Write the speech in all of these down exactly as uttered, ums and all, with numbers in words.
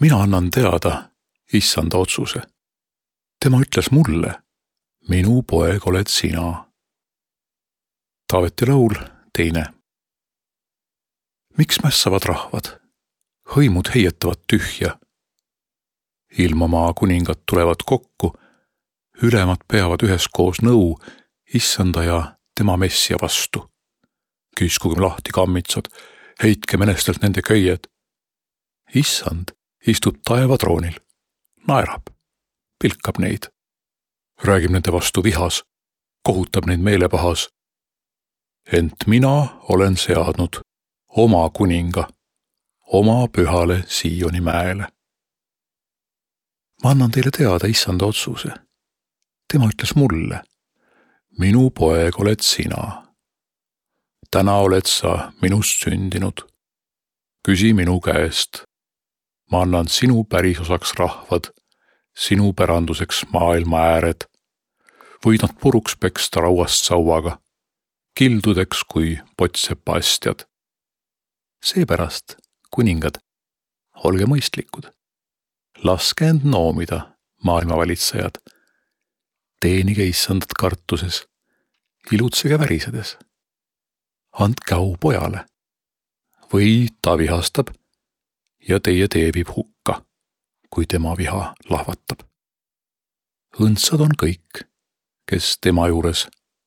Mina annan teada issanda otsuse. Tema ütles mulle, minu poeg oled sina. Taaveti laul teine. Miks mässavad rahvad? Hõimud heietavad tühja. Ilmamaa kuningad tulevad kokku, ülemad peavad üheskoos nõu issanda ja tema messia vastu. Kiskugem lahti kammitsad, heitke menestelt nende köied. Issand istub taevatroonil, naerab, pilkab neid. Räägib nende vastu vihas, kohutab neid meelepahas. Ent mina olen seadnud oma kuninga, oma pühale Sioni mäele. Ma annan teile teada issanda otsuse. Tema ütles mulle, minu poeg oled sina. Täna oled sa minust sündinud. Küsi minu käest. Ma annan sinu pärisosaks rahvad, sinu päranduseks maailma ääred. Võid nad puruks peksta rauast sauaga, kildudeks kui potsepa astjad. Seepärast, kuningad, olge mõistlikud. Laske end noomida, maailma valitsejad. Teenige issandat kartuses, ilutsege värisedes. Andke au pojale. Või ta vihastab ja teie teebib hukka, kui tema viha lahvatab. Õndsad on kõik, kes tema juures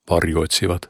varju otsivad.